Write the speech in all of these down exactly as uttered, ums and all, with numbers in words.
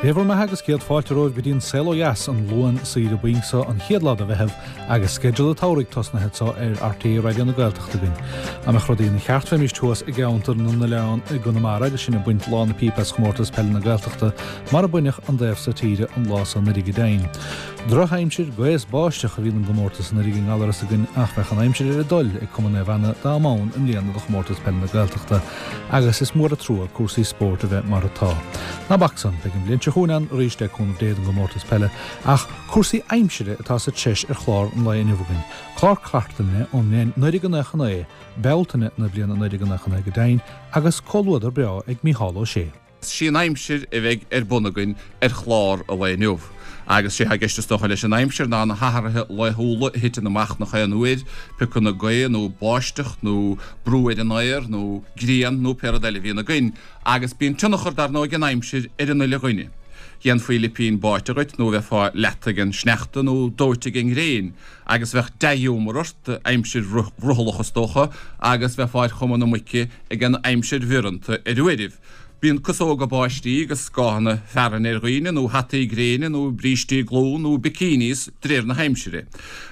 Dé bhur mbeatha agus céad fáilte romhaibh go dtí an Saol Ó Dheas an Luan saoire boinn seo an chéad lá de Mheitheamh agus sceideal an tsamhraidh tosnaithe anseo ar RTÉ Raidió na Gaeltachta againn. Dá mbeadh rudaí ina cheart bheimís thuas i gceantar na n-oileán i gConamara agus sinn ag baint lá na pípe as chomórtas peile na Gaeltachta mar a baineadh an dtaobh so tíre an lá so anuraidh go deimhin. Drochaimsir, gaoth is báisteach a bhí don gcomórtas anuraidh i nGallaras againn ach bheadh an aimsir ar a dtoil ag Cumann Naomh Anna dá mba ann i mbliana do chomórtas peile na Gaeltachta agus is mór an trua cúrsaí spóirt a bheith mar atá. Ná bac san, beidh an bhliain seo chugainn ann arís le cúnamh Dé don gcomórtas peile ach cúrsaí aimsire atá sa treis ar chlár an lae inniu againn. Clár cartlainne ón mbliain naoi déag nócha naoi, Bealtaine na bliana naoi déag nócha naoi go deimhin, agus comhluadar breá ag Mícheál Ó Sé. Sí an aimsir a bheidh ar bun againn ar chlár an lae inniu. Agus sé atá i gceist is dócha leis an aimsir ná na hathruithe laethúla a thiteann amach nach aon uair, piocanna gaoth nó báisteach nó brú ar an aer nó grian nó pé rud eile a bhíonn againn. Agus bíonn tionchar dar ndóigh ag an aimsir ar an uile dhuine. Dhéanfaí lipín báite dhuit nó bheifeá leata ag an sneachta nó dóite ag an ngréin agus bheadh dea-ghiúmar ort, aimsir bhrothallach is dócha, agus bheifeá ar chuma na muice ag an aimsir bhioranta ar uairibh. Bíonn casóga báistí agus scáthanna fearthainne ar dhaoine, nó hataí gréine, nó brístí glún, nó bikinis, de réir na haimsire.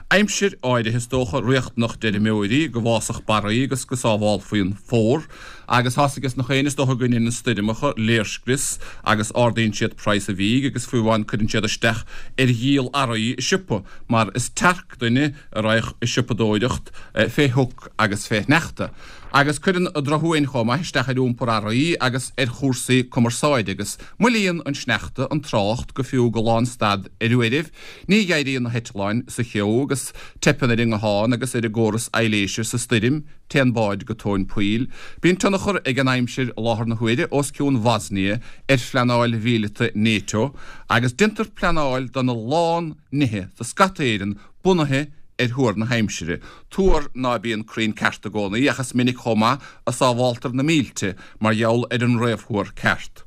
Aimsir áirithe is dócha, riachtanach d'fheirmeoirí, go bhfásfadh barraí agus go sábhálfaí an fómhar. Agus tá's ages nach éinne is dócha go ndeineann stoirmeacha léirscrios agus ardaíonn siad praghas an bhídh agus fiú amháin cuireann siad isteach ar dhíol earraí i siopa mar is tearc duine a raghadh ag siopadóireacht fé shioc agus fé shneachta. Agus cuireann an drochfhuaim chomh maith isteach ar iompar earraí agus ar chúrsaí cumarsáide agus moillíonn an sneachta an trácht go fiú go lánstad ar uairibh, ní dh'éiríonn na heitleáin sa cheo agus teipeann ar an nguthán agus ar an gcóras aibhléise sa stoirm, téann báid go tóin poill. Bíonn tionchar ag an aimsir i láthair na huaire os cionn Bhosnia ar phleanáil mhíleata NATO agus déantar pleanáil dona lán nithe sa scata Éireann bunaithe ar thuar na haimsire, tuar ná bíonn cruinn ceart i gcónaí ach is minic chomh maith a sábháltar na mílte mar gheall ar an réamhthuar ceart.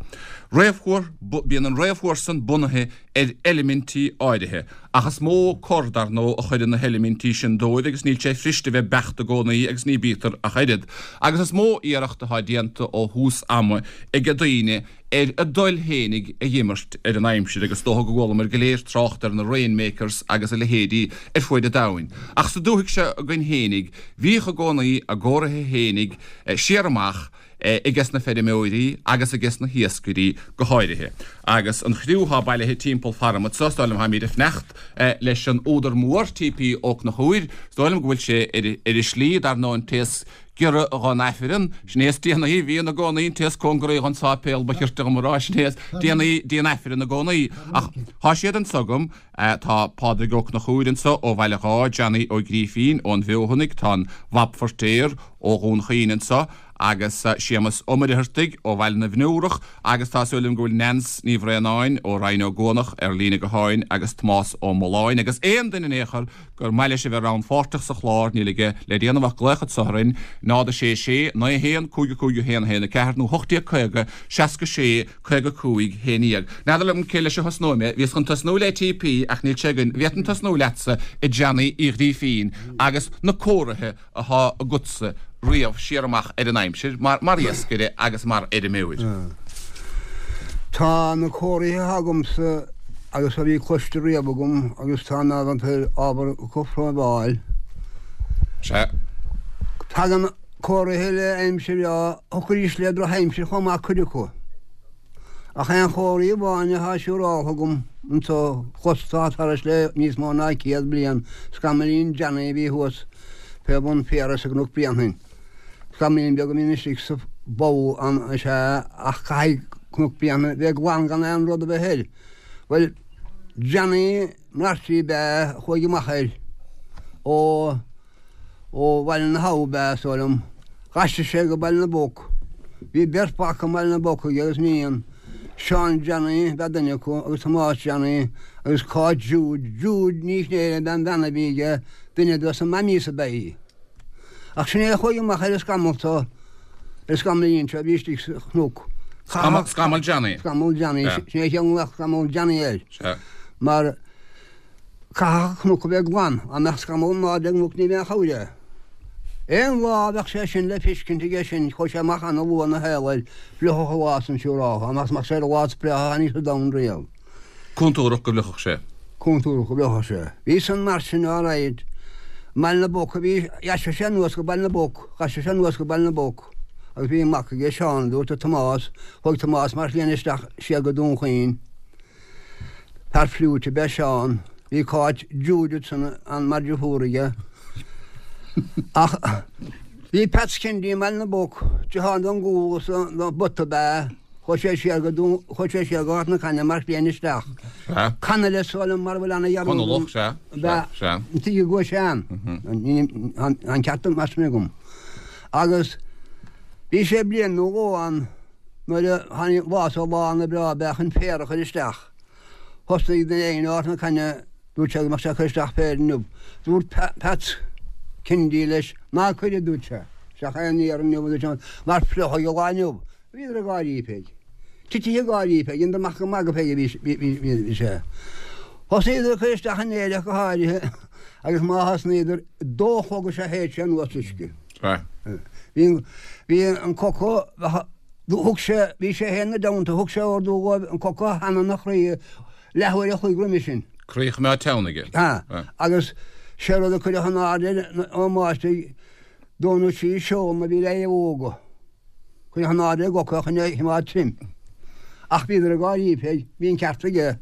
Réamhthuar, Bíonn an réamhthuar san bunaithe ar eilimintí áirithe, ach is mó cor, dar ndóigh, a chuireann na heilimintí sin dóibh agus níl sé fuirist a bheith beacht i gcónaí agus ní bítear ach oiread. Agus is mó iarracht atá déanta ó thús ama ag daoine ar a dtoil fhéinig a dh'imirt ar an aimsir agus is dócha go gcualamar go léir trácht ar na rainmakers agus a leithéidí ar fuaid an domhain. Ach sa dúthaigh seo againn fhéinig, bhíodh i gcónaí a gcomhartha fhéinig siar amach aiges na feirmeoirí agus aiges na hiascairí go háirithe. Agus an chriú thá bailithe timpeall faram anso, is dóigh liom tháimíd ag fanacht leis an údar mór, TP Ó Conchúir, is dóigh liom go bhfuil sé ar a shlí, dar ndóigh an té is giorra dhon Aifreann, sin é is déanaí, bhíonn i gcónaí, an té is cóngaraí dhon sáipéal, ba chirte dhom a rá, sin é is déanaí dtí'n Aifreann i gcónaí. Ach thá siad anso agam, tá Pádraig Ó Conchúir anso ó Bhaile Dháith, Johnny Ó Grífín ón bhFeothanaigh, tá an Bhab Feirtéar ó Dhún Chaoin anso, agus Séamus Ó Muircheartaigh ó Bhaile na bhFionnúrach, agus tá súil agam go bhfuil Neans Ní Bhraonáin ó Rinn Ó gCuanach ar líne gutháin agus Tomás Ó Mulláin agus aon duine in aon chor gur maith leis a bheith rannpháirteach sa chlár, níl aige le déanamh ach glaoch anso orainn, náid a sé sé, naoi a haon, cúig a cúig a haon a haon a ceathair nó hocht déag caoga, seasca sé, caoga cúig, haon dhéag. N'fheadar liom cé leis a thosnóidh mé, bhíos chun tosnú le TP ach níl sé againn, bhféadfainn tosnú leatsa, a Johnny Uí Ghrífín, agus na comharthaithe athá agatsa riamh siar amach ar an aimsir mar mar iascaire agus mar fheirmeoir. Tá na comharthaithe athá agamsa agus a bhí cloiste riamh agam agus tá in ábhar ábhar cothromháil. Sea. Tagann comharthaithe le aimsir bhreá, thiocfaidís le drochaimsir chomh maith cuid acu. Ach aon chomharthaí amháin athá siúráltha agam anso chlosta thairis le níos mó ná céad bliain, scamaillín Johnny a bhí thuas fé bhun Phiarais i gCnoc Bréanainn. Scamaillín beag a bhíonn istigh sa bpoll ann is ea ach caithfidh Cnoc Bréanainn bheith glan gan aon rud a bheith air. Bhuel, Johnny Mharty ab ea a chuaigh amach air ó Ó Bhaile na hAbha ab ea, is dóigh liom. D'aistrigh sé go Baile na bPoc. Bhí beirt mhac i mBaile na bPoc aige agus iníon. Seán Johnny ab ea duine acu agus Tomás Johnny agus Cáit Jude, Jude Ní Chnéire ab ea an bhean a bhí aige, duine dos na mammies ab ea í. Ach sin é a chuaigh amach ar an scamall so, ar an scamaillín seo a bhí istigh sa chnoc. Scamall, Scamall Johnny. Scamall Johnny, sin é a chéad Scamall Johnny air. Sea. Mar. Caithfidh an cnoc a bheith glan, dá mbeadh scamall in airde ar an gcnoc ní bheadh aon chabhair air. Aon lá a bheadh sé sin le feiscint aige sin, chuaigh sé amach ana-luath ina shaol air, fliuchfadh an lá san siúráltha, amach is amach sé ar an lá is breátha a tháinig sa domhan riamh. Contúrach go bhfliuchfadh sé. Contúrach go bhfliuchfadh sé. Bhí san mar sin alright. I mBaile na bPoc a bhí, dheaisigh sé anuas go Baile na bPoc, ghaisigh sé anuas go Baile na bPoc agus bhí mac aige, Seán, a dúirt do Tomás, chuaigh Tomás mar shléan isteach siar go Dún Chaoin. Fear fliúit ab ea Seán. Bhí Cáit Judith san ann mar dheirfiúr aige. Ach bhí Peats Kennedy i mBaile na bPoc, deartháir don gcúl is don bpota ab ea. Chuaigh sé siar go Dún, chuaigh sé siar go Ghort na Cainne mar shléan isteach. Sea. Connolly is dóigh liom mara bhfuil ana dhearúd Conallach, sea, ab ea. sea, sea. An tuige go bhfuair sé ann. Tá an ceart mar sin agam. Agus bhí sé bliain nó dhó ann nuair a tháinig lá sa lá ana breá ab ea chun féar a chur isteach. Thosnaigh duine éigin ó Ghort na Cainne, dúirt sé go mbeadh sé ag cur isteach féir inniu. Dúirt Peats Kennedy leis, Ná cuir, a dúirt sé, isteach aon fhéar inniu, a dúirt sé, mar fliuchfaidh an lá inniu. Bhíodar ag gáirí fé. Titithe ag gáirí fé, dheineadar amach gur magadh fé a bhí sé. Thosnaíodar ag cur isteach an fhéir ach go háirithe agus má thosnaíodar, a dó a chlog is ea shéid sé anuas uisce. Bhí an coca, Thug sé, bhí sé féin ina dteannta, thug sé ordú dhóibh an coca a theannadh ina chroí leathuair a chloig roimhe sin. Croí a choimeád teann aige. Sea. Agus sé rud a cuireadh in airde air ón mbáistigh, dó nó trí seol a bhí le mhóga. Cuireadh in airde ar an gcoca chun é a choimeád tirim. Ach bhíodar ag gáirí fé, bhí an ceart aige.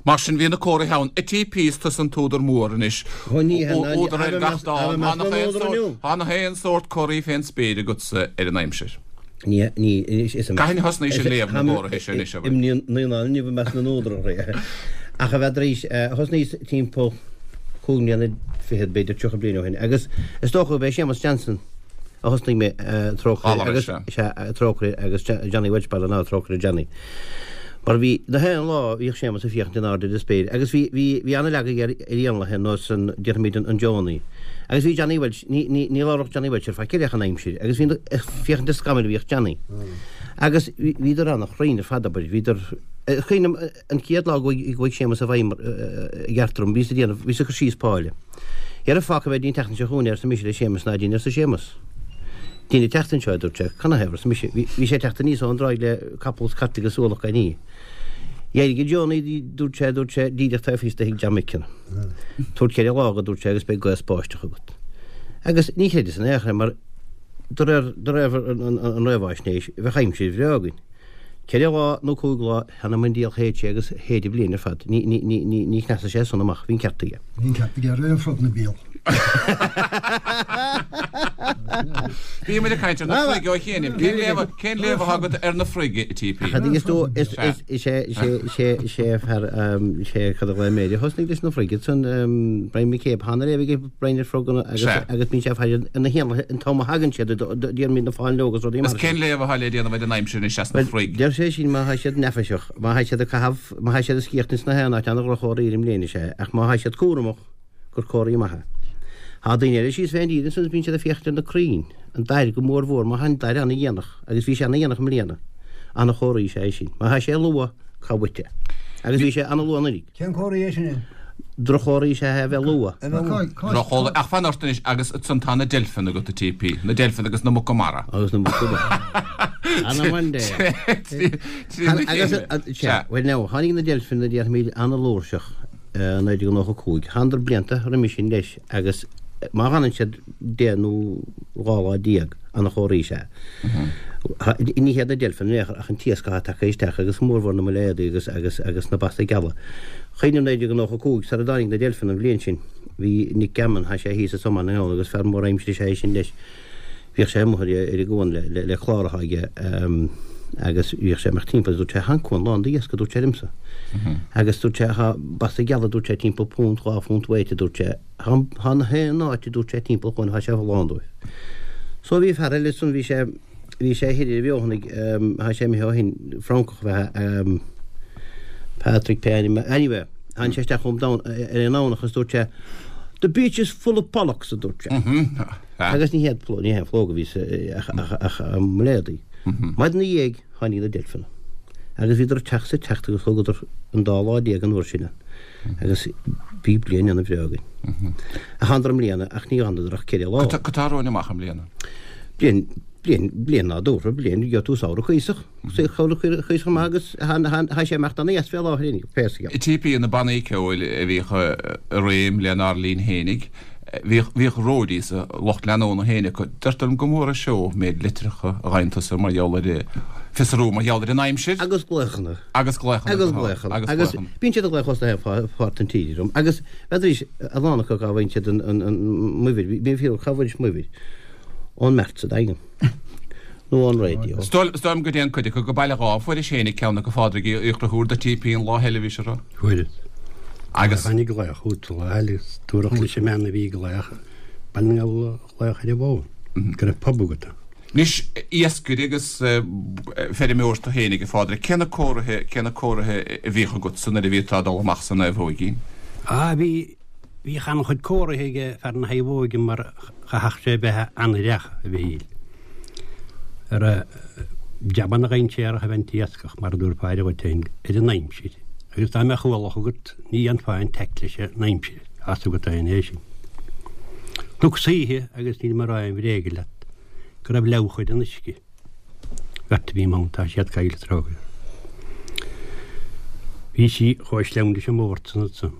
Mar sin bhí na comharthaí ann. A TP is tusa an t-údar mór anois. Údar ar gach dán. Tá nach aon sórt comharthaí fén spéir agatsa ar an aimsir. Cathain a thosnaís ag léamh na gcomharthaí seo anois, abair? Imní naíonán inniu i measc na n-údar. Ach a bheith tar éis, thosnaíos timpeall cúig mbliana fichead, b'fhéidir tríocha bliain ó shin, agus is dócha gurb é Séamus Johnson a thosnaigh mé, trócaire agus, sea, trócaire agus Johnny Welch Baile ná trócaire Johnny. Mar bhí, na haon lá bhíodh Séamus ag féachaint in airde ar an spéir agus bhí, bhí, bhí an-leagadh aige ar, ar éanlaithe nós an, déarfaimid an, an Johnny. Agus bhí Johnny Welch, ní, ní, ní labhródh Johnny Welch ar faic eile ach an aimsir agus bhí, ag féachaint ar scamaill a bhíodh Johnny. Agus bhí, bhíodar an-chruinn ar fad, abair, bhíodar, is cuimhin liom an chéad lá go bhfuaigh Séamus i bhfeidhm i gceart orm, bhíos ag déanamh, bhíos ag cur síos páile. Dhera fágfaidh mé dtí an tseachtain seo chugainn é, arsa mise le Séamus, ná dein, arsa Séamus. Duine ag teacht anseo, a dúirt sé. Canathaobh, arsa mise. Bhí sé ag teacht aníos ón dtráigh le capall is cairt agus ualach gan ní. D'éirigh Johnny, dúirt sé, dúirt sé, díreach taobh thíos de thigh John Mickin. Tabhair ceithre lá dho, dúirt sé, agus beidh gaoth 's báisteach agat. Agus ní chreideas in aon chor é mar de réir, de réir an réamhaisnéis, bheadh aimsir bhreá againn. Ceithre lá nó cúig lá, th'anam 'on diabhal shéid sé agus shéid an bhliain ar fad. Ní, ní, ní, ní, ní chneasaigh sé san amach, bhí an ceart aige. Bhí an ceart aige ar aon frog na béal. Bhí muid ag caint ar na froig ó chianaibh. Cén léamh, cén léamh atá agat ar na froig, a TP? Ach is dó, is, is, is é, is é, is é, is é fear, is é cad a ghlaoigh mé air a thosnaigh leis na froig ansan, Brian McCabe, tá an-léamh aige Brian ar froganna agus, Sea. agus bíonn sé ag faire ar na héanlaithe an t-am a thagann siad, déarfaimid na fáinleoga is rudaí mar Is sin. cén léamh atá le déanamh ar an aimsir anois as na Bhuel, froig? deir sé sin má thá siad neafaiseach, má thá siad ag caitheamh, má thá siad ag sciacht ins na haon áit, ana-dhroch-chomhartha ar an mbliain is ea, ach má thá siad cúramach, gur comharthaí maith é. Thá daoine eile síos fén dtír ansan is bíonn siad ag féachaint ar na crainn, an dair go mór mhór, má thá an dair ana-dhéanach, agus bhí sé ana-dhéanach i mbliana, ana-chomhartha is ea é sin. Má thá sé luath, cá bhfuit é? Agus bhí sé ana-luath anuraidh. Cén comhartha é sin é? Droch-chomhartha is ea é a bheith luath. A bheith luath. Droch-chomhartha. Ach fan ort anois agus ansan tá na deilfeanna agat, a TP. Na deilfeanna agus na muca mara. Agus na muca mara. Ana-mhaith é. Trína Agus, chéile. sea, bhuel now, tháinig na deilfeanna déarfaimid ana-fhlúirseach i naoi déag nócha cúig. Thánadar blianta roimis sin leis agus má fhanann siad deich nó dhá lá déag, ana-chomhartha is ea. Ní hiad na deilfeanna in aon chor ach an t-iasc atá tagtha isteach agus mórmhór na muiléadaí agus agus agus na basa geala. Cuimhním naoi déag nócha cúig sara dtáinig na deilfeanna an bhliain sin bhí Nick Gammon, thá sé thíos i Soman inniu agus fear mór aimsire is ea é sin leis. Bhíodh sé amuigh ar ar an gcuan le le le clár atá aige agus bhíodh sé amach timpeall agus dúirt sé thá an cuan lán d'iasc a dúirt sé liomsa. Agus dúirt sé thá basa geala dúirt sé timpeall punt dhá phunt weight a dúirt sé. Thá thá na haon áit a dúirt sé timpeall an chuain thá sé lán dóibh. So bhí fear eile ansan bhí sé bhí sé thoir ar Bheothanaigh thá sé imithe ó shin Francach ab ea Patrick pé ainm anyway tháinig sé isteach chugam ar an nDomhnach agus dúirt sé The beach is full of pollocks a dúirt sé. Agus ní hiad ní haon phlóg a bhí sa ach ach ach muiléadaí. Maidin ina dhiaidh tháinig na deilfeanna. Agus bhíodar ag teacht is ag teacht agus thógadar an dá lá déag an uair sin ann. Agus bhí bliain ana bhreá againn. Ach thánadar i mbliana ach ní fhanadar ach ceithre lá. Cad tá romhainn amach i mbliana? Bliain, bliain, bliain nádúrtha, bliain, gheobhaidh tú samhradh cuíosach, samhradh cuíosach maith agus tá sé ag imeacht ana dheas fé láthair inniu, pé scéal. T P na bannaí ceoil a bhíodh i réim lenár linn fhéinig, Bhíodh, bhíodh roadies, lucht leanúna féin acu. Deirtear liom go mór an seó méid litreacha a fhaigheann tusa mar gheall ar, fiosrú mar gheall ar an aimsir. Agus glaochanna. Agus glaochanna. Agus glaochanna. Agus Agus bíonn siad ag glaoch os na haon pháirt den tír orm. Agus bheadaís, a lán acu cá bhfaigheann siad an, an, an m'uimhir, bíonn fiú, cá bhfuairis m'uimhir? Ón mbeart sa Daingean. Nó ón raidió. Is dóigh liom go dtéann cuid acu go Baile Dháith. Fuairis féinig ceann acu, a Phádraig Uí Chonchúir, do T P an Lá Eile, bhí sé rá. Fuaireas. Agus. Tháinig glaoch uait lá eile agus dúradh leis an mbean a bhí ag glaoch, Baile na nGall a ghlaoch ar an bhfón, go raibh pub agat. Anois, iascaire agus feirmeoir tú fhéinig, a Phádraig, cé na comharthaí, cé na comharthaí a bhíodh agatsa nuair a bhí tú ag dul amach sa naomhóigín? Á, bhí, bhíodh an-chuid comharthaí ag fear na naomhóige mar chaithfeadh sé bheith an-aireach, a Mhichíl. Ar a jabanna dhainséaracha a bheith an t-iascach, mar a dúirt Pádraig dhuit féin, ar an aimsir. Agus dá mbeadh ualach agat, ní dhéanfá aon taic leis an aimsir, as agat é an é sin. Thug saoithe, agus níl mé ag rá aon bhréige leat, go raibh leabhar ar an uisce. Bheirt a bhí ann, tá siad caillte trócaire. Bhí sí chomh sleamhain leis an mbord san ansan,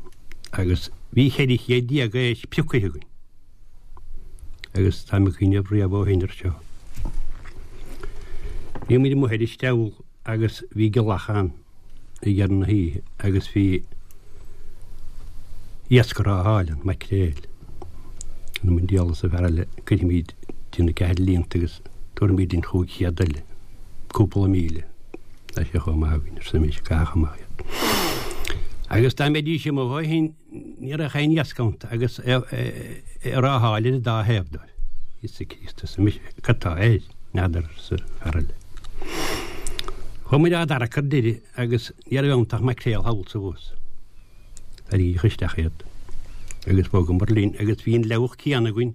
agus bhí ceithre chéad déag éisc pioctha againn. Agus táim ag cuimhneamh riamh ó shin air seo. Bhí muid amuigh ar an steall agus bhí gealach ann ag deireadh na hoíche agus bhí iasc á fháil ann, maicréil. An an diabhal arsa fear eile, cuirfimid dtí na ceathair líonta agus tabharfaimid linn chúig chéad eile, cúpla míle. Tá sé chomh maith againn, arsa mise, caithfidh amach iad. Agus dá mbeidís amuigh ó shin, ní raibh aon iasc iontu agus é ag rátháil ar an dá thaobh dóibh. Íosa Críost, arsa mise, cad tá air? N'fheadar, arsa fear eile. Chuaigh muid á dtarrac ar deireadh agus ní raibh iontu ach maicréal thall is abhus. Tarraingíodh isteach iad agus bhogamar linn agus bhí an leabhach céanna againn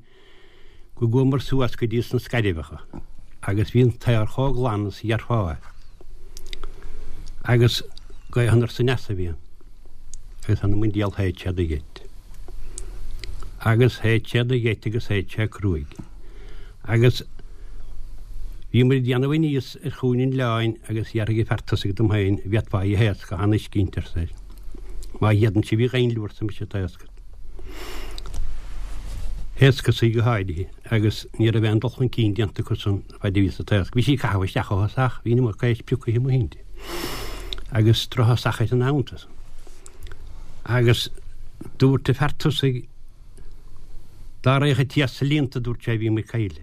go gcuamar suas go dtí sna Scairbheacha agus bhí an t-aer chomh glan is a dhéarfá é. Agus gaoth anoir is aneas a bhí ann. Agus th'anam 'on diabhal shéid sé de gheit. Agus shéid sé de gheit agus shéid sé cruaidh. Agus bhí muid ag déanamh aníos ar chúinne an oileáin agus dhéarfaidh an fear tosaigh dom féin, bhféadfá í a thaoscadh, an uisce inti, arsa é. Má fhéadann sibh í a dhaingniú, arsa mise, taoscad. Thaoscas í go háirithe agus ní raibh aon dul chun cinn déanta acu san fad a bhíos ag taoscadh. Bhí sí ag caitheamh isteach ó thosach, bhí an iomarca éisc pioctha amuigh inti. Agus drochthosach ar an abhann. Agus dúirt an fear tosaigh dá raghadh an t-iasc sa líonta, dúirt sé, bhí muid caillte.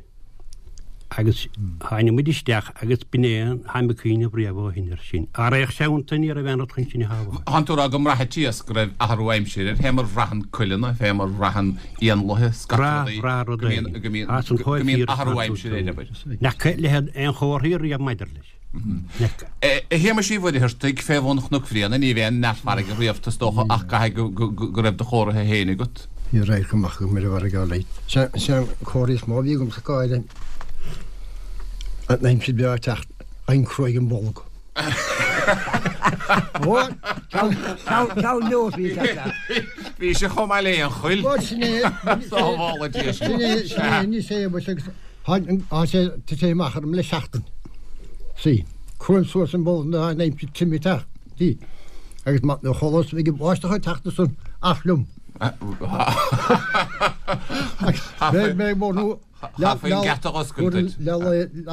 Agus tháinig muid isteach agus b'in é an táim ag cuimhneamh riamh ó shin air sin. Dá raghadh sé iontu ní raibh aon rud chun sinn a shábháil. Thánn tú ag rá go mbraitheann an t-iasc go raibh athrú aimsire air, fé mar bhraitheann coileanna, fé mar bhraitheann éanlaithe, scata Brath, rudaí, brath rud go mbíonn, éigin. go mbíonn, As an go mbíonn chomh athrú fíor aimsire air, abair. N'fheaca leithéid aon chomharthaí riamh maidir leis. N'fheaca. A Shéamais Uí Mhuircheartaigh, fé bhun Chnoc Bhréanainn, ní bheidh aon neart farraige riamh is dócha ach caithfidh go, go, go, go raibh do chomhartha féin agat. Ní raibh amach agam ar an bhfarraige leid. Sé an comhartha is mó a bhí agam sa cáile an aimsir breá teacht an cruaidh an bolg. Ceann leos bhí teacht. Bhí sé chomh maith le aon choill. Sin é Sábhála Dia sin é sin é ní sé agus tá sé tá sé amach orm le seachtain. Sí, cruaim suas an bolg na an aimsir tirim teacht. Sí. Agus má na cholas ag báisteach teacht san ach liom. Mé mé mór nó Chaithfí geata a oscailt duit. Le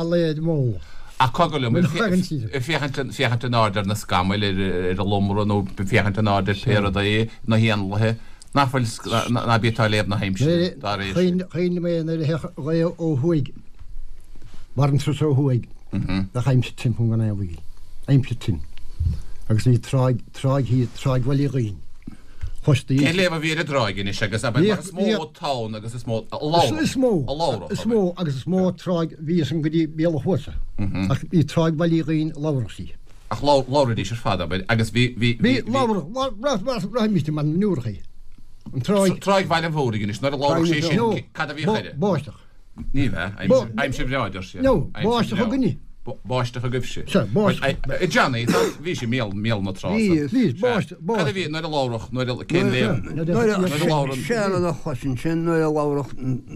le mó. Ach cogar liom, Mé chagan siad. féachaint féachaint in airde ar na scamaill ar ar an lomra nó féachaint in airde ar pé rudaí na héanlaithe nach bhfuil ná bí tá léamh na haimsire dá réir sin. Chuin mé nuair a theach gaoth ó thuaidh. Mar an trus ó thuaidh. Nach aimsir tirim gan aon bhaol. Aimsir tirim. Agus bhí tráigh tráigh hí tráigh Bhaile Uí Dhuinn. Chostaí. Cén léamh a bhí ar an dtráigh anois agus ab mar is mó tonn agus is mó a Is mó a labhrach is mó agus is mó tráigh bhí san go dtí Béal an Chuasa. Ach bhí tráigh Bhaile Uí Dhuinn labhrach sí. Ach labhraidís ar fad abair agus bhí bhí Bhí labhrach raimiste man nuair An tráigh Tráigh Bhaile an Mhúraigh anois nuair a labhrach sé sin cad a bhí chuile? Báisteach. Ní bheith aimsir bhreá deir siad. No, báisteach a gcoinne. Báisteach agaibhse. Sea, báisteach. Johnny, bhí sé míol míol na trá. Bhí, bhí, báisteach, Cad a bhí nuair a labhrach nuair a cén léamh? Nuair a labhrann. Sea, a chosin sin nuair a labhrach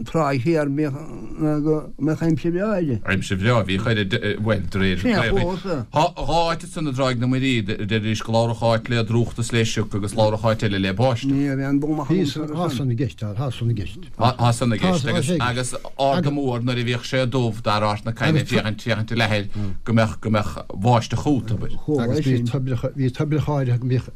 trá thiar go mbeadh aimsir bhreá aige. Aimsir bhreá, bhí chuir bhuel de réir. Sin é fós. Tá dhá áit ansan i dTráigh na Muirí, deiridís go labhrach áit le drúcht is le sioc agus labhrach áit eile le báisteach. Ní raibh aon dul amach Bhí tá san i gceist, tá san i gceist. Tá san i gceist agus agus Arda Mór nuair a bhíodh sé dubh dar Ard na Caithne féachaint féachaint i leathair go mbeadh go mbeadh báisteach chút abair. Agus bhí toibreacha bhí toibreacha áirithe go mbíodh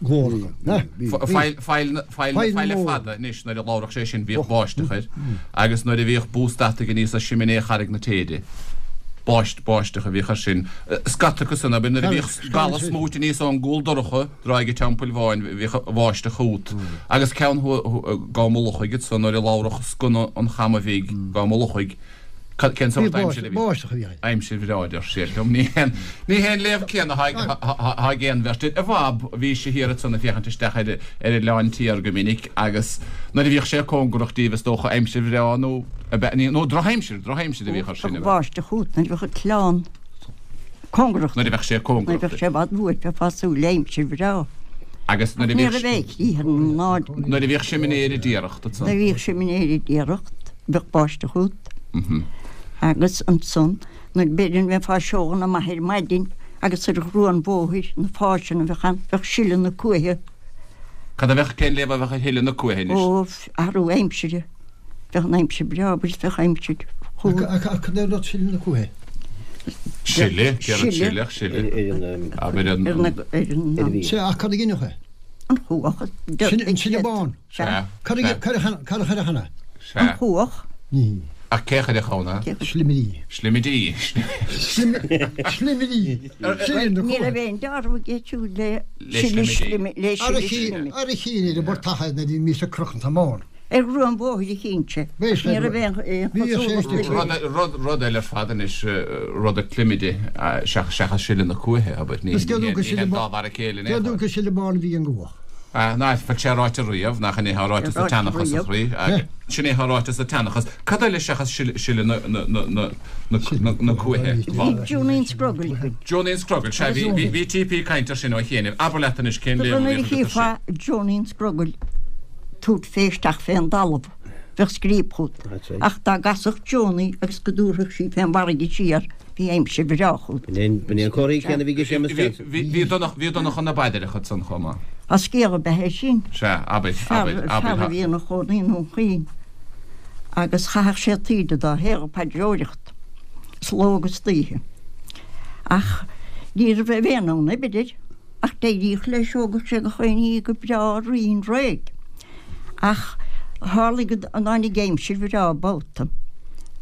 glór acu. Faill faill faill faille fada anois nuair a labhrach sé sin bhíodh báisteach air agus nuair a bhíodh bús deataigh aníos as siminé Charraig na Téide báist báisteach a bhíodh air sin. Scata acu san abair nuair a bhíodh gala smúit aníos ón gcúl dorcha dráig an Teampaill Bháin bhíodh báisteach chút agus ceann gá mullach agat so nuair a labhrach sconna an Chama Bhig gá mullach Cén sórt aimsir a bhí? Báisteach a bhí. Aimsir bhreá deir siad liom. Ní haon ní haon léamh céanna atá ag aon bheirt. A Bhab, bhí sé thiar ansan ag féachaint isteach ar ar Oileán Tiar go minic agus nuair a bhíodh sé cóngarach díobh is dócha aimsir bhreá nó nó drochaimsir, drochaimsir a bhíodh air sin. Bheadh báisteach chút nuair a bheadh an t-oileán cóngarach. Nuair a bheadh sé cóngarach. Nuair a bheadh sé i bhfad uait bheifeá ag súil le aimsir bhreá. Agus nuair a Ní bhíodh raibh aon chrích ar an náid. Nuair a bhíodh siminéir ag iarracht ansan. Nuair a bhíodh siminéir ag iarracht bheadh báisteach chút. Agus ansan nuair b'fhéidir bheifeá ag seoladh amach ar maidin agus ar ghrua an bhóthair na fáiseanna a bheadh ann bheadh sileadh na cuaiche. Cad a bheadh, cén léamh a bheadh ar shileadh na cuaiche anois? Ó, athrú aimsire. Bheadh an aimsir breá, abair, bheadh aimsir chumha. Ach cad é rud sileadh na cuaiche? Sileadh, céard sileadh, sileadh. Abair an. Ar an. Sea, ach cad a ghinfeadh é? An chuach. Sin an sileadh bán. Sea. Cad a chuirfeadh ann é? Sea. An chuach. Ní. Ach cé a chuirfeadh ann é? Slimirí. Slimirí. Slimirí. Sileadh na Ní cuaiche. raibh aon dealramh aige siúd le sileadh slimi, le sileadh slimi. Ar a chinn ar an bport tachair nuair a bhí mise ag crochadh an t-am. Ar ghrua an bhóthair a chinn sé. Ní raibh aon chosúlacht Rud, rud, rud eile ar fad anois, rud a climide seachas sileadh na cuaiche, abair. Ní ní dá mhar a chéile in aon chor. Céard dúinn sileadh bán a bhí an gcuach? Ná fuil sé ráite riamh, nach in é atá ráite sa tseanchas, a chroí? Sin é atá ráite sa tseanchas. Cad eile seachas sileadh na, na, na, na, na, na cuaiche? Bhí Johnny an Scrogaill againn. Johnny an Scrogaill, sea, bhí, bhí, bhí TP ag caint air sin ó chianaibh. Abair leat anois cén léamh a Nuair a bhíodh agat air sin. chífeá Johnny an Scrogaill tabhairt fé isteach fén dtalamh, bheadh scríob chút. Ach dá gcasfadh Johnny agus go dtabharfadh sí fén bhfarraige siar, bhí aimsir bhreá chút. B'in é an comhartha céanna a bhí ag Séamus Johnson. Bhí Donncha, bhí Donncha na bPaidreacha ansan chomh maith. Á scéal ab ea é sin. Sea, abair, abair, abair. Fear a bhí ina chónaí i nDún Chaoin agus chaitheadh sé taoide dá shaol ag paidreoireacht, is ló agus d'oíche. Ach ní raibh aon fhonn oibre air, ach d'éiríodh leis, thógadh sé gach aon ní go breá righin réidh. Ach tharlaigh go dtáinig aimsir bhreá babhta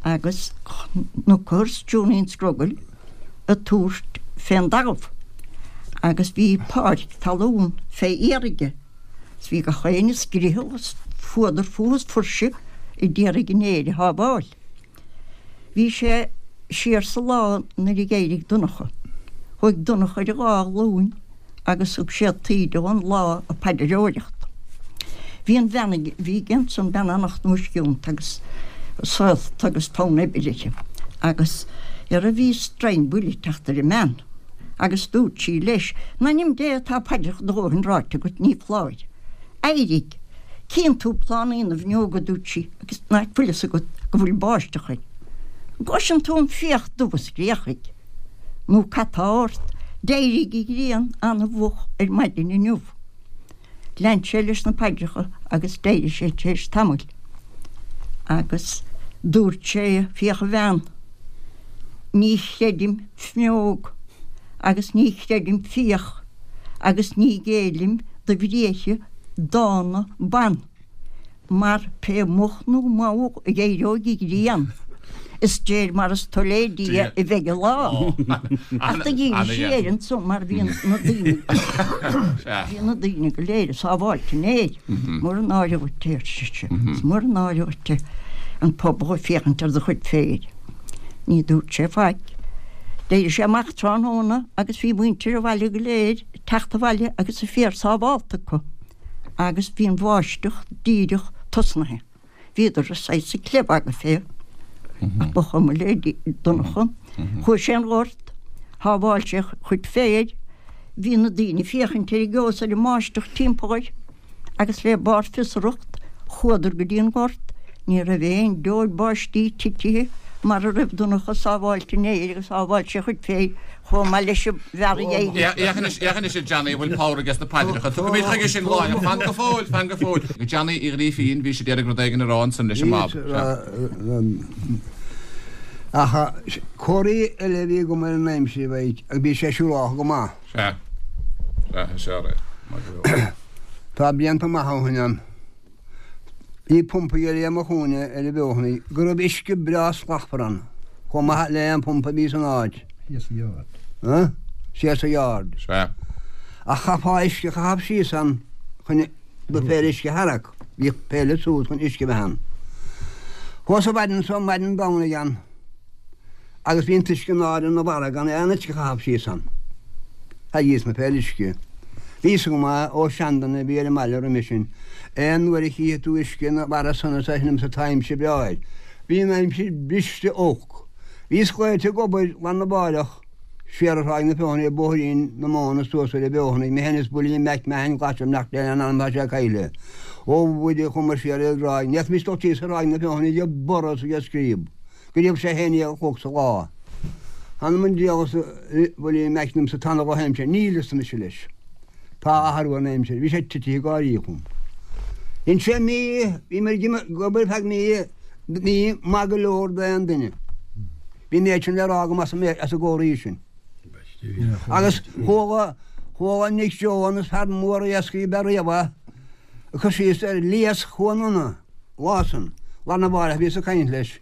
agus chonacthas Johnny an Scrogaill ag tabhairt fén dtalamh agus bhí páirc talún fé fhéar aige is bhí gach éinne ag scriothadh is fuadar fúthu is fuirseadh ag iarraidh an fhéar a shábháil. Bhí sé siar sa lá nuair a d'éirigh Donncha. Chuaigh Donncha ar a dhá ghlúin agus thug sé taoide ón lá ag paidreoireacht. Bhí an bhean a bhí aige ansan, bean an-chnúisciúnta agus saolta agus fonn oibre uirthi, agus ar a bhí stroighin buile ag teacht ar an mbean, agus dúirt sí leis, In ainm Dé tá paidreacha do dhóthain ráite agat, ní foláir. Éirigh! Cíonn tú plánaí na bhfuinneog, a dúirt sí, agus nach bhfuil fhios agat go bhfuil báisteach air. An gcloiseann tú an fiach dubh ag scréachaigh? Nó cad tá ort? D'éirigh an ghrian an-mhoch ar maidin inniu. Lean sé leis na paidreacha agus d'éirigh sé tar éis tamaill agus dúirt sé, Féach a bhean, ní chreidim fuinneog agus ní chreidim fiach agus ní ghéillim do bhriathra dána ban. Mar pé moch nó mall a d'éireoidh an ghrian, is de réir mar is toil le Dia a bheidh an lá. Ach do dhírigh sí air ansan mar bhí na daoine, bhí na daoine go léir ag sábháilt an fhéir. Mór an náire dhuit é, ar sise, is mór an náire dhuit é an pobal ag féachaint ar do chuid féir. Ní dúirt sé faic. D'éirigh sé amach tráthnóna agus bhí muintir an bhaile go léir ag teacht abhaile agus a féar sábhálta acu. Agus bhí an bháisteach díreach tosnaithe. Bhíodar saghas ag clebagadh fé. Ach ba chuma le Donncha. Chuaigh sé an gort, shábháil sé a chuid féir, bhí na daoine ag féachaint ar an gceo is ar an mbáisteach timpeall air, agus le barr fiosracht chuadar go dtí an gort, ní raibh aon deoir báistí titithe mar a raibh Donncha sábháilte an fhéir agus shábháil sé a chuid féir chomh maith leis an bhfear a d'éirigh. Féach anois, féach anois a Johnny, an bhfuil pabhar aige sna paidreacha. Tiocfaimid chuige sin láithreach. Fan go fóill, fan go fóill. Johnny Uí Ghrífín, bhís ag iarraidh rud éigin a rá ansan leis an mBab. Ach comharthaí eile a bhí agam ar an aimsir a bheidh, agus bhí sé siúráltha go maith. Sea. Sea, is ea é. Maith go leor. Tá blianta maithe ó shin ann. Bhí pumpa ar mo chúinne ar an bhFeothanaigh go raibh uisce breá slachtmhar ann, chomh maith le aon phumpa a bhí san áit. Síos sa yard. Síos sa yard. Sea. Ach chaithfeá uisce a chaitheamh síos ann chun do phéire uisce a tharrac. Bhíodh péile suas chun uisce a bheith ann. Chuas an mhaidin so, maidin Domhnaigh ann, agus bhí an t-uisce in airde ina bharra gan aon uisce a chaitheamh síos ann. Thairrigíos mo phéile uisce. Bhí fhios agam é ó sheanduine a bhí ar an mbaile roimhe sin. Aon uair a chífidh tú uisce ina bharra san is é sin tá aimsir breá air. Bhí an aimsir briste olc. Bhíos glaoite ag obair lá arna mháireach siar ar Thráigh na Feothanaí ar Bhóithrín na Móna suas ar an bhFeothanaigh, mé féin is Builí Mac Mahon Glas im leacht lena anam tá sé caillte. Ó Mhuire chuamar siar ar an dtráigh, ní fhéadfaimis dul síos ar Thráigh na Feothanaí ag borradh is ag scríob go raibh sé a haon déag a chlog sa lá. Th'anam 'on diabhal arsa Builí Mac liomsa tá ana dhrochaimsir. Níl arsa mise leis. Tá athrú ar an aimsir. Bhí sé titithe ag gáirí chugam. Dhein sé mí, bhíomar ag obair feadh mí, mí maith go leor d'aon duine. Bhí an méid sin le rá agam as an gcomharthaí sin. Agus chuala, chuala Nick Jones, fear mór iascaigh ab ea riamh é, ag cur síos ar Lios Chuan Iona, lá san, lá arna mháireach bhíos ag caint leis.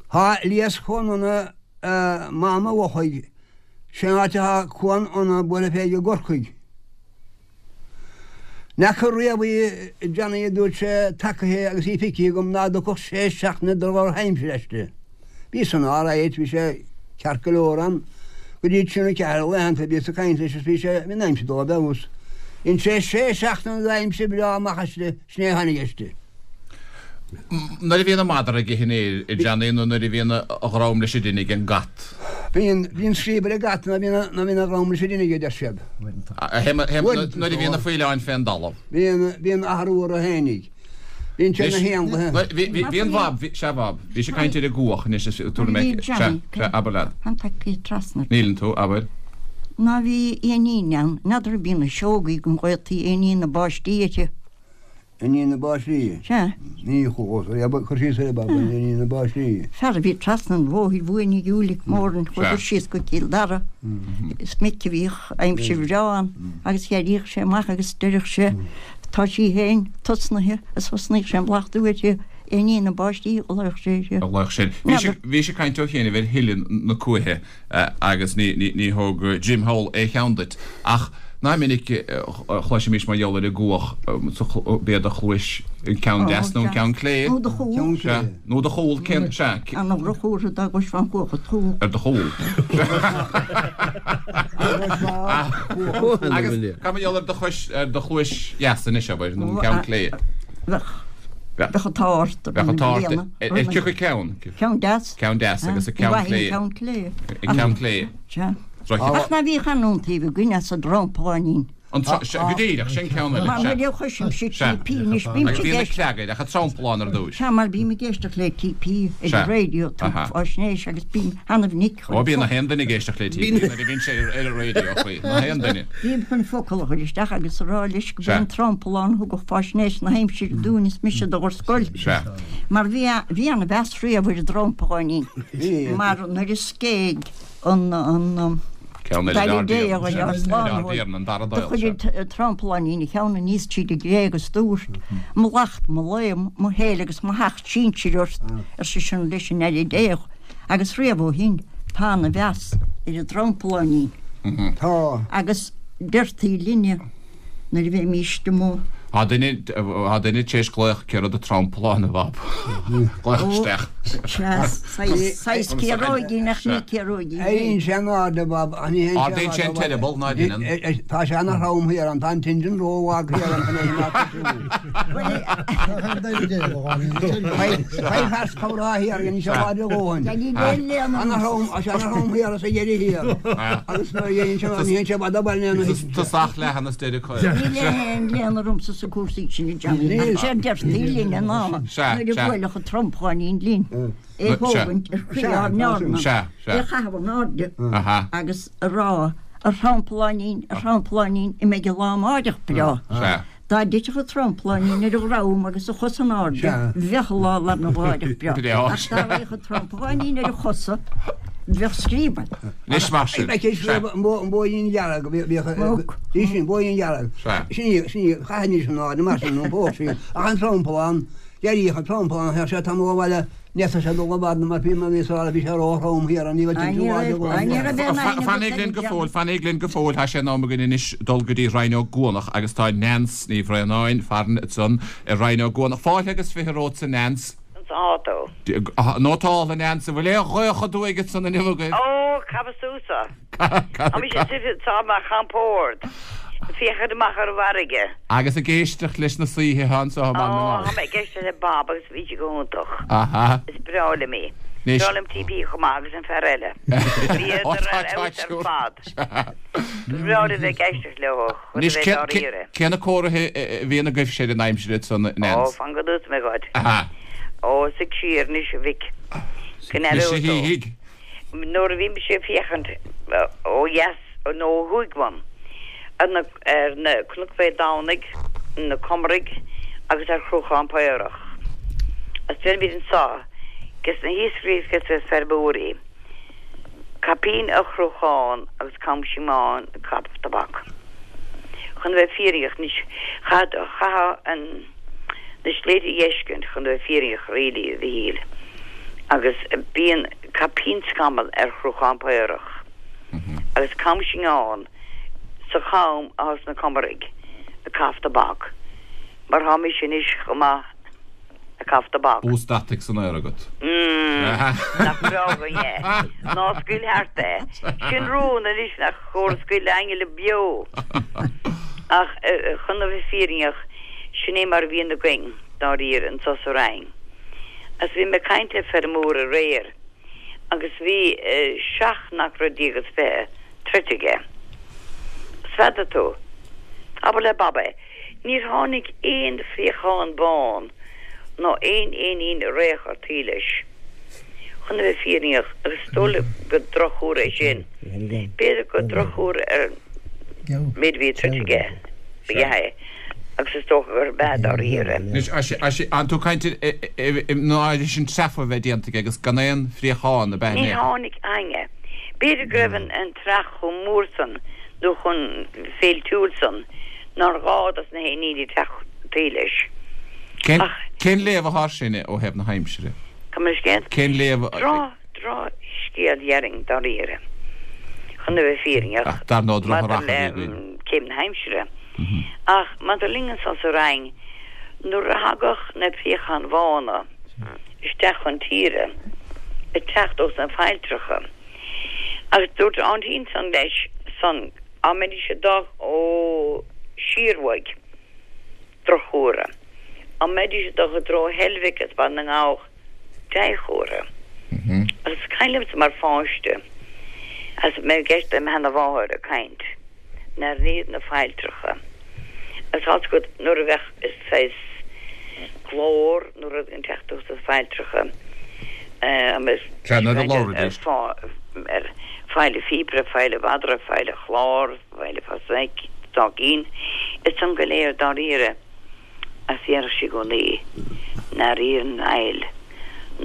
Tá Lios Chuan Iona i Mám an Lochaigh, sin an áit atá Cuan Iona bualadh fé i gCorcaigh. N'fheaca riamh í, a Johnny, a dúirt sé, tacaithe agus í feicthe agam ná dtiocfadh sé seachtaine de dhrochaimsir aisti. Bhí san alright, bhí sé ceart go leor ann go dtí trí nó ceathair laethanta, bhíos ag caint leis is bhí sé, bhí an aimsir dul i bhfeabhas. Dhein sé sé seachtaine d'aimsir bhreá amach aisti, sin é a tháinig aisti. Nuair a bhíonn an madra ag ithe an fhéir, a Johnny, nó nuair a bhíonn a dhrom leis an dtine ag an gcat? Bíonn, bíonn scríob ar an gcat nuair a bhíonn, nuair a bhíonn a dhrom leis an dtine aige, a deir siad. Nuair a bhíonn na faoileáin fén dtalamh. Bíonn, bíonn athrú orthu fhéinig. Bíonn siad ina héanlaithe. Bhí, bhí, bhí an Bhab, bhí, sea Bhab, bhís ag caint ar an gcuach anois is tabharfaidh mé, sea, sea, abair leat. An tagtha trasna. Níleann tú, abair. Ná bhí éinín ann, n'fheadar ab í na siógaí den ghaotaí éinín na báistí uirthi. Iníon na báistí. Sea. Ní chuas ar abair, cur síos ar abair, iníon na báistí. Fear a bhí trasna an bhóthair uainn ag Ulick Moran, chuadar síos go Cill Dara. Is minic a bhíodh aimsir bhreá ann agus d'éiríodh sé amach agus deireadh sé, tá sí féin tosnaithe is thosnaíodh sé ag blachtú uirthi, éinín na báistí a ghlaodh sé uirthi. A ghlaodh sé. Bhís ag caint ó chianaibh ar thuile na cuaiche agus ní thóg Jim thall aon cheann duit ach Nach minic a chloisimís mar gheall ar an gcuach, b'é do chluais an ceann deas nó an ceann clé? Nó do chúl. Sea. Nó do chúl, cén, sea. An drochthuar dá gcloisfeá an chuach id chúl. Ar do chúl. Agus cad mar gheall ar do chois, ar do chluais dheas anois, abair, nó an ceann clé? Bheadh. Bheadh an t-ádh ort. Bheadh an t-ádh ort. Ar cioca ceann? Ceann deas. Ceann deas agus an ceann clé. An ceann clé. An ceann clé. Sea. Ach ná bhíodh an-iontaoibh againn as an dtrompláinín. An tro-, sea, go díreach, sin ceann eile, Mar sea. nuair a chloisimse Sea. TP anois, bím Agus ag bhí na éisteacht. cleagair, ach an tromplán ar dtúis. Sea, mar bím ag éisteacht le TP ar Sea. an raidió, tabhairt Aha. faisnéis agus bím an-mhinic Ó, chun bíonn focal. na haon duine ag éisteacht le TP nuair a bhíonn sé ar an raidió, faoi, na haon duine. Bím chun focal a chur isteach agus a rá leis go Sea. b'é an tromplán a thugadh faisnéis na haimsire dúinn is mise do ar scoil. Sea. Mar bhí, bhí an-mheas riamh ar an dtrompláinín. Bhí. Mar nuair a scéigh an Ceann eile Daire Dé a Ard Slánaitheoir an dara do Dáil chuir an Trompláinín a cheann aníos tríd an gcré agus dúirt, Mo lacht, mo lao, mo shéala agus mo sheacht sinsir ort, ar seisean leis an Aire Déach, agus riamh ó shin tá ana mheas ar an dTrompláinín. Tá. Agus deirtí linne nuair a bheimíst amuigh Tá duine tá duine tar éis glaoch céard é tromplán a Bhab. Glaoch isteach. Saghas ciaróigín ach ní ciaróigín. Éiríonn sé in airde Bob ach ní théann sé Ardaíonn sé an t-eireaball ná déanann. Tá sé ana throm thiar ann, tá an t-injin ró-lag thiar ann chun é sin a Chaith fear comhrá thiar dhein sé láidir a dhóthain. Ana throm, tá sé ana throm thiar sa dheireadh thiar. Agus nuair a dhéanann sé ní théann sé i bhfad abhaile ina thiteann sé. Tosach leathan is deireadh caol. Níl aon léann ormsa sa cúrsaí sin a Johnny. Ach sé a deirtí linne ná nuair a bhuailfeadh an trompláinín linn é thógaint ar chroí ár n-eorna, é a chaitheamh in airde agus a rá, A thrompláinín, a thrompláinín, an mbeidh an lá amáireach breá? Dá dtitfeadh an trompláinín ar a dhrom agus a chosa in airde, bheadh an lá larna mháireach breá. Ach dá raghadh an trompláinín ar a chosa, bheadh scríob ann. Anois mar sin. Bheadh scríob an bóithrín dhearg, bhíodh, bhí sin, bóithrín dhearg. Sin í, sin í, chaithfidís in airde mar sin, an bóthar sin. Ach an tromplán, d'éiríodh an tromplán, théadh sé tamall abhaile, Ní fhéadfadh sé dul i bhfad mar bhí mar bhí sa bhí sé ró-throm thiar ann, ní bheadh aon láidir go leor. Fanaigí linn go fóill, fanaigí linn go fóill, tá sé in am againn anois dul go dtí Rinn Ó gCuanach agus tá Neans Ní Bhraonáin farainn ansan i Rinn Ó gCuanach. Fáilte agus fiche romhatsa Neans. Tá tú. Nótáil a Neans, an bhfuil aon ghaoth aduaidh ansan inniu agaibh? Ó, cad as tusa? Tá mise suite anseo i mo chompord, ag féachaint amach ar an bhfarraige. Agus ag éisteacht leis na saoithe anseo i mBaile na Ó, nGall. tá mé ag éisteacht le Bob agus bhí sé go hiontach. Aha. Is breá liom í. Anois. Breá liom TP chomh maith agus an fear eile. Ó, Bhíodar tá, ar tá, fheabhas ar siúr. fad. Ba bhreá liom bheith ag éisteacht leo chun a Anois, bheith cé, cé, dáiríre. cé na comharthaí a bhíonn agaibhse ar an aimsir ansan, Ó, Neans? fan go dtús mé dhuit. Aha. Ó, suigh siar anois, a mhic. Go Anois, n-aireoidh a tú. shíthigh. Nuair a bhí mise ag féachaint ó dheas nó ó thuaidh uaim ar na ar na Cnoc Mhéith Domhnaigh, na Comaraigh agus ar Chruachán Paorach. Is deirimid anseo ges na hiascairí is ges na feirmeoirí, caipín ar chruachán agus cam seamáin ag caitheamh tobac. Chun a bheith fírinneach anois, chaithfeá an na sléibhte a fheiscint chun a bheith fírinneach really, a Mhichíl, agus bíonn caipín scamall ar Chruachán Paorach agus cam seagáin sa cham athá sna Comaraigh ag caitheamh tobac, mar thá mise anois chomh maith ag caitheamh tobac. Bús deataigh san aer agat. Mm, nach breá againn é. Ná scaoil thart é. Sin rún anois nach chóir a scaoileadh le hainle beo. Ach chun a bheith fírinneach, sin é mar a bhíonn againn, dáiríre, anso sa Rinn. Agus bhí mé ag caint le feirmeoir aréir agus bhí seacht n-acra déag is fiche troidte aige. Is n'fheadar tú. Abair le Bob é. Níor tháinig aon phréachán bán ná aon éinín réach ar taobh leis. Chun a bheith fírinneach, agus is dóigh liom gur drochthuar é sin, b'fhéidir gur drochthuar ar an méid a bhí troidte aige ba ea é, agus is dócha gurb ea dáiríre. Anois, an tú ag caint ná leis an treafa a bheith déanta aige agus gan aon phréachán ab ea Ní tháinig éinne. B'fhéidir go raibh an t-earrach chomh mór san nó chomh féiltiúil san nár ghá dos na héiníní teacht taobh leis. Cén Ach. cén léamh atá air sin ó thaobh na haimsire? Gabh mo leithscéal? Cén léamh a. Droch, drochscéal déarfainn dáiríre, chun a bheith fírinneach, Ach dar ndóigh maidir drochrath a le bhí againn. céim na haimsire. Ach maidir linn anso sa Rinn, nuair a thagadh na préacháin bhána isteach chun tíre, ag teacht ós na failltreacha, agus dúirt aintín san leis san, á mbeidís ag dul ó siar uaidh, drochchomhartha. Á mbeidís ag dul i dtreo Heilbhic is Baile na nGabhach, dea-chomhartha. Agus is cuimhin liomsa mar pháiste, agus mé ag éisteacht le mo sheana-mháthair ag caint, nuair a bhí na failltreacha. Agus tá's agat nuair a bheadh saghas glór nó rud ag teacht ós na failltreacha, Sea, nuair a labhraidís. ar faill an phíopaire, faill an mhadra, faill an chláir, faill an phasaic, dá gcinn, is san go léir dáiríre agus deireadh sí i gcónaí nuair a iarrann an fhaill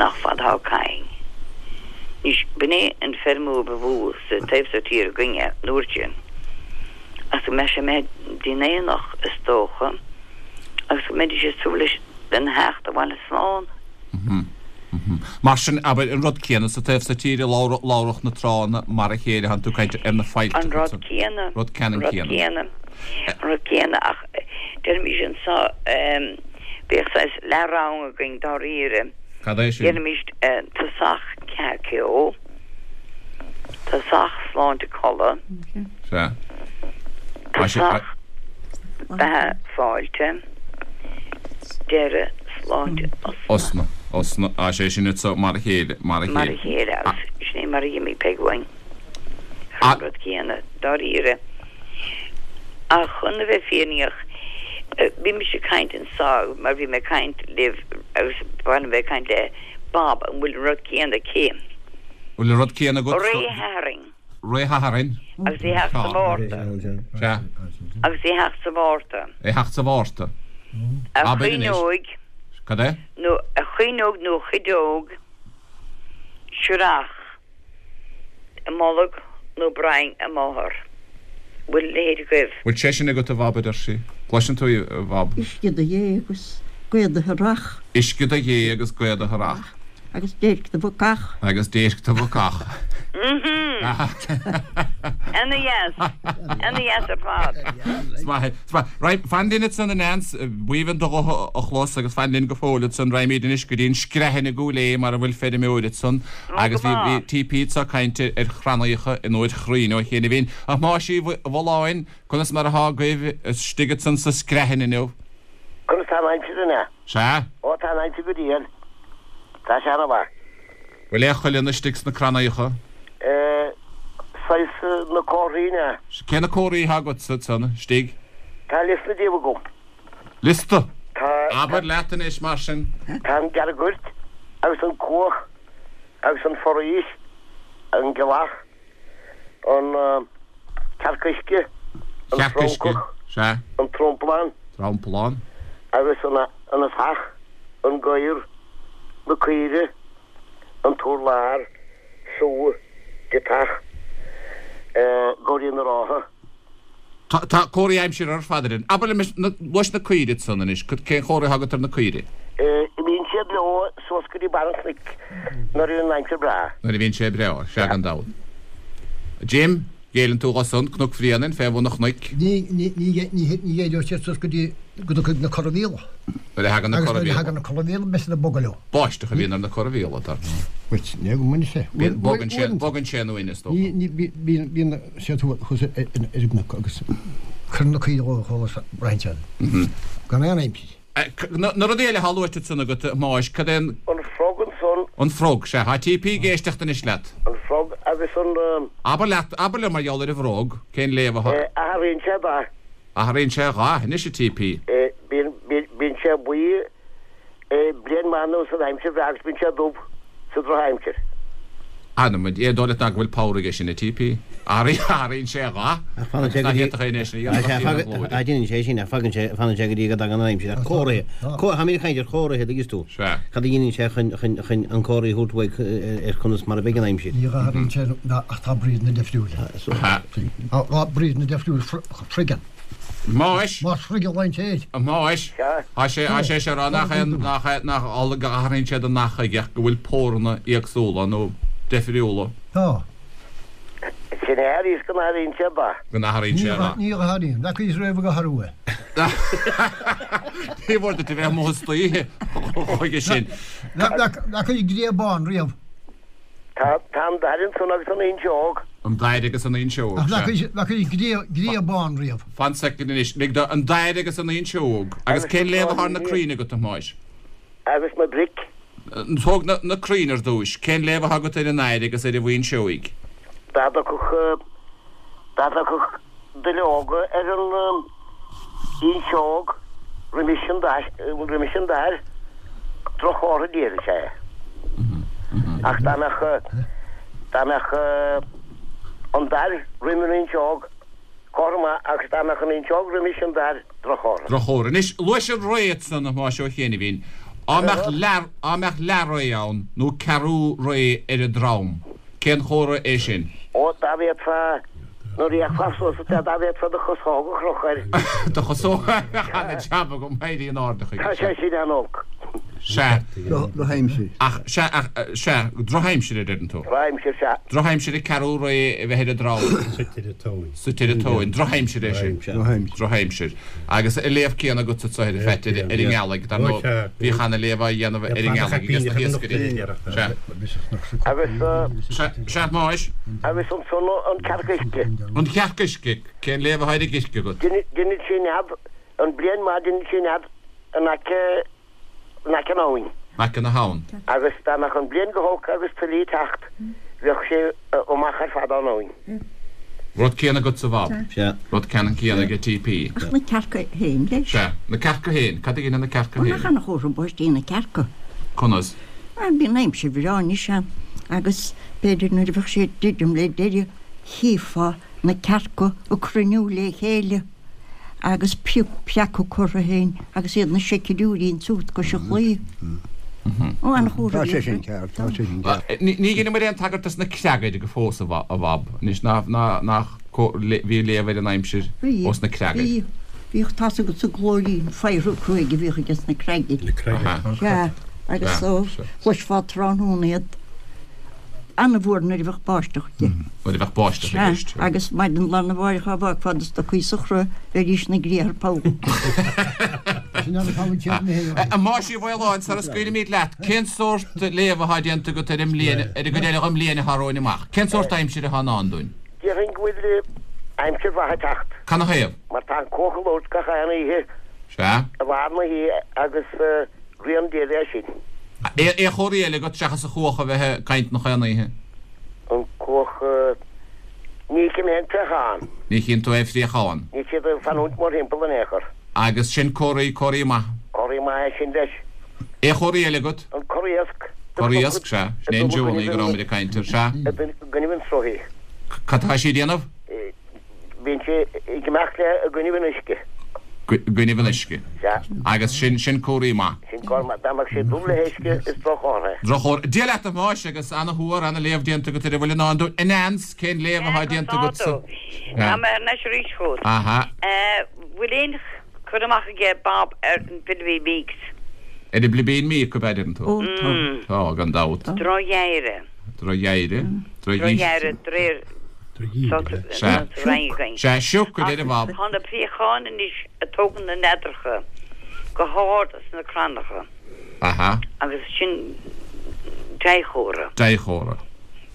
nach fada atá caing. Anois, b'in é an feirmeoir ba mhó sa taobh so tíre againne an uair sin, agus go mbeadh sé imithe dtí'n aonach, is dócha, agus go mbeidís ag súil leis lena theacht abhaile slán. Mar sin, abair, an rud céanna sa taobh so tíre, labhródh na tránna mar a chéile, thánn tú ag caint ar na failltreacha An rud céanna. Rud ceannann céanna. An rud céanna. An rud céanna ach Déanaimís anso, bhíodh saghas leath-rang againn dáiríre. Cad é sin? Déanaimís tosach ceatha ceo, tosach sláinte codladh, Sea. tosach beatha fáilte, deireadh sláinte osna. Osna, osna, á sé sin anso mar a chéile, mar a Mar a chéile. chéile agus sin é mar a d'imigh Peig uainn. An rud céanna, dáiríre. Ach chun a bheith fírinneach, bhí mise ag caint anso mar bhí mé ag caint libh agus ba mhaith liom bheith ag caint le Bob, an bhfuil an rud céanna aici? Bhfuil an rud céanna agat? Ré Shathairn. Ré Shathairn. Agus é theacht sa Mhárta. Sea. Agus é theacht sa Mhárta. É theacht sa Mhárta. A Abair anois. chuinneog. Cad é? Nó a chuinneog nó a chuideog. Srach. I mbolg nó broinn a máthar. Bhfuil a leithéid agaibh? Bhfuil sé sin agat a Bhob a deir sí. Cloiseann tú í a Bhob. Uisce do ghé agus gaoth do tharrach. Uisce do ghé agus gaoth do tharrach. Agus déirc do bhacach. Agus déirc do bhacach. Ana dheas. Ana dheas ar fad. Is maith, is maith. Right, fan linn ansan a Neans, b'aoibhinn do ghuth a chlos agus fan linn go fóill ansan. Raghaimid anois go dtí an Screathan i gCúil Aodha mar a bhfuil feirmeoir ansan agus bhí bhí TP anso ag caint ar chrannaíocha in uair chruinn ó chianaibhín. A Thomáis Uí Bhulláin, conas mar athá agaibh istigh ansan sa Screathan inniu? Conas tá an aimsir an ea? Sea. Ó tá an aimsir go diail. Tá sé ana-mhaith. Bhfuil aon chuileann istigh sna crannaíocha? Eh, saghas na comharthaí an ea? Cé na comharthaí atá agatsa ansan istigh? Tá liosta díobh agam. Liosta? Tá. Abair leat anois mar sin. Tá an gearrghoirt agus an cuach agus an foraois, an gealach, an cearc uisce, an Cearc uisce, francach, sea. an tromplán. Tromplán. Agus an an fhathach, an gadhar, na caoire, an t-urlár, sú, deatach, gabhairín na rátha. Tá tá comharthaí aimsire ar fad ar an. Abair liom na luais na caoire ansan anois, cén chomhartha atá agat ar na caoire? Imíonn siad leo suas go dtí barr an chnoic nuair a bhíonn an aimsir breá. Nuair a bhíonn sé breá, sea gan dabht. Jim, géilleann tú dho san, Cnoc Bhréanainn, fé bhun an chnoic. Ní ní ní ní ní ghéilleoidh siad suas go dtí go dtiocfaidh na corramhíola. Nuair a thagann na Agus nuair a corramhíola. thagann na corramhíola beidh siad ag bogadh leo. Báisteach a bhíonn ar na corramhíola, dar ndóigh. Bhuel, ní go mbaineann sé. Bíonn, bogann sé, bogann sé an uain, is dócha. Ní ní bí bíonn bíonn siad thuas thuas ar ar ar an gcnoc agus cuireann na caoirigh dhó chuala braitheann siad. Gan aon aimsir. Na na rudaí eile atá luaite ansan agat, a Thomáis, cad é an. An frog ansan. An frog, sea, tá TP ag éisteacht anois leat. An frog agus an. Abair leat, abair liom mar gheall ar an bhfrog, cén léamh atá. Athraíonn sé a dhath. Athraíonn sé a dhath, anois a TP. Bíonn, bíonn, bíonn sé buí bliain maith anuas san aimsir bhreá agus bíonn sé dubh sa drochaimsir. Anam, é dóigh leat ná go bhfuil pabhar aige sin, a TP? Athraíonn sé a dhath. Ach fanann sé go dtí. Á déanann sé sin, ach fagann sé, fanann sé go dtí go dtagann an aimsir. Ach comharthaí, táimid ag caint ar chomharthaí, tuigeann tú. Cad a dhéanann sé chun, chun, chun an comhartha a thabhairt uaidh ar conas mar a bheidh an aimsir. Ní athraíonn sé ach tá brídeanna difriúla. Tá brídeanna difriúla froigeann. Más. Más froig a lean sé air. Más. Tá sé, tá sé seo rá nach é, nach é, nach amhlaidh go athraíonn sé an dath chuige ach go bhfuil póranna éagsúla nó deifriúla. Tá. Sin é arís go n-athraíonn sé a dhath. Go n-athraíonn sé a dhath. Ní athraíonn. Bheadh fhios roimh go athrú é. Ní mhór duit a bheith amuigh istoíche chuige sin. Bheadh an ghrian bán riamh. Tá tá an dair ansan agus an fhuinseog. An dair agus an fhuinseog, Ach sea. bheadh an ghrian bán riamh. Fan soicind anois. Lig do an dair agus an fhuinseog. Agus cén léamh atá ar na crainn agat, a Thomáis? Agus na bric. Tóg na na crainn ar dtúis. Cén léamh atá agat ar an dair agus ar an bhfuinseoig? Dá dtiocfadh dá dtiocfadh duilleoga ar an fhuinseog roimis an dair roimis an dair, droch-chomhartha diail is ea é. Ach dá mbeadh dá mbeadh an dair roimh an fhuinseog, comhartha maith agus dá mbeadh an fhuinseog roimis an dair, droch-chomhartha. Droch-chomhartha. Anois, luais an ré ansan, a Thomáis Ó Céinmhín. Á mbeadh leath á mbeadh leathré ann nó ceathrú ré ar an drom, cén chomhartha é sin? Ó, dá bhféadfá, nuair a fhéachfá suas at é, dá bhféadfá do chosóg a chrochadh air. Do chosóg, ana jab agam, éirí in airde chuige Tá sé sin. sin an-olc. Sea. Drochaimsir. Ach, sea, ach, sea, drochaimsir a deireann tú. Drochaimsir, sea. Drochaimsir ag ceathrú réidh a bheith ar an dtráigh. Suite ar an tóin. Suite ar an tóin. Drochaimsir é sin. Drochaimsir. Drochaimsir. Agus an léamh céanna agatsa ar a Pheait ar an ngealaigh, dar ndóigh, bhíodh ana léamh á dhéanamh ar an ngealaigh aige sna hiascairí. Sea. Agus, Sea, sea, a Thomáis. Agus ansan an cearc uisce. An chearc uisce, cén léamh atá ar an gcirc agat? Deineann sí nead, an bliain maith deineann sí nead in aice, in aice an abhainn. In aice na habhann. Agus dá mbeadh an bliain go holc agus tuile ag teacht, bheadh sé amach ar fad ón abhainn. Rud céanna agatsa a Bhob. Sea. Rud ceannann céanna ag T P. Ach na cearca féin leis. Sea, na cearca féin. Cad a dhéanann na cearca Ó, nach féin? ana-chomhartha báistí na cearca. Conas? Ah, bíonn aimsir bhreá anois ann agus b'fhéidir nuair a bheadh sé ag druidim le deireadh, chífeá na cearca ag cruinniú le chéile agus pioc preac curtha féin agus iad na seicidiúirí ansúd cois an chlaí. Ó, ana-chomhartha Tá sé sin ceart, tá sé sin ceart. Ní dheineamar aon tagairt dos na creagair go fós a Bhob, anois nach bhí léamh ar an aimsir ós na creagair. Bhí, bhíodh tá's agat sa glóirín faobhar cruaidh a bhíodh aige sna creagair. Na creagair. Sea, agus so chloisfeá tráthnóna iad an-mhór nuair a bheadh báisteach de. Nuair a bheadh báisteach i gceist. Sea, agus maidin lá arna mháireach á bhfágfá do stocaí sa chrois bheidís ina gcriathar poll. A Mháis Uí Mhaoláin, sara scaoilfimid leat, cén sórt léamh atá déanta agat ar an mbliain, ar an gcuid eile den mbliain atá romhainn amach? Cén sórt aimsire atá i ndán dúinn? Déarfainn go bhfuil aimsir mhaith ag teacht. Canathaobh? Mar tá an cuach ag labhairt gach aon oíche Sea. i lár na hoíche agus rian Dé leis sin. Aon chomharthaí eile agat seachas an chuach a bheith ag caint nach aon oíche? An cuach, ní fheicim aon phréachán. Ní chíonn tú aon phréachán. Níl siad ag fanúint mórthimpeall in aon chor. Agus sin comharthaí, comharthaí maith. Comharthaí maith é sin leis. Aon chomharthaí eile agat? An corr-iasc. Corr-iasc, sea. Sin é an Joanie go rabhamar ag caint air, sea. I gcoinnibh an tsrutha. Cad tá sí a dhéanamh? Bíonn sé ag imeacht le i gcoinnibh an uisce. I gcoinnibh an uisce. Sea. Agus sin, sin comharthaí maith. Sin comhartha maith. Dá mbeadh sé dubh le huisce is droch-chomhartha é. Droch-chomhartha. Dia leat a Thomáis agus ana-thuar, ana-léamh déanta agat ar a bhfuil i ndán dúinn. A Neans, cén léamh atá déanta agatsa? Tá mé thar n-ais arís chugat. Aha. Bhfuil aon cur amach aige Bob ar an bPilibín Míc? Ar an bPilibín Míc, ab ea, deireann tú? Ó, tá. Tá, gan dabht. Droch-gheimhreadh. Droch-gheimhreadh. Droch-gheimhreadh, de réir Sea. Sea, sioc, a deir an Bhab. Tá na préacháin anois ag tógaint na neadracha go hard sna crannacha. Aha. Agus sin dea-chomhartha. Dea-chomhartha.